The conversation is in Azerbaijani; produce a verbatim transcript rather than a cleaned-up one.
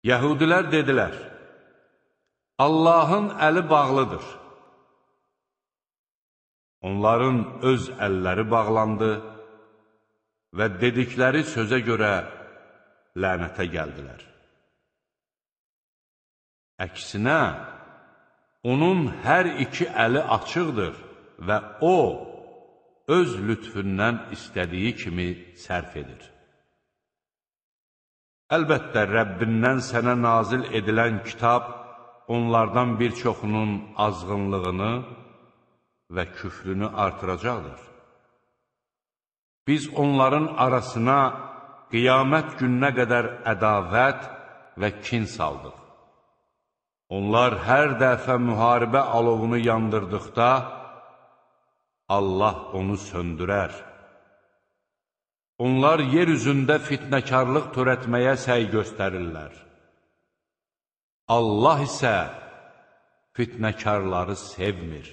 Yəhudilər dedilər, Allahın əli bağlıdır. Onların öz əlləri bağlandı və dedikləri sözə görə lənətə gəldilər. Əksinə, onun hər iki əli açıqdır və o, öz lütfündən istədiyi kimi sərf edir. Əlbəttə, Rəbbindən sənə nazil edilən kitab onlardan bir çoxunun azğınlığını və küfrünü artıracaqdır. Biz onların arasına qiyamət gününə qədər ədavət və kin saldıq. Onlar hər dəfə müharibə alovunu yandırdıqda, Allah onu söndürər. Onlar yer üzündə fitnəkarlıq törətməyə səy göstərirlər. Allah isə fitnəkarları sevmir.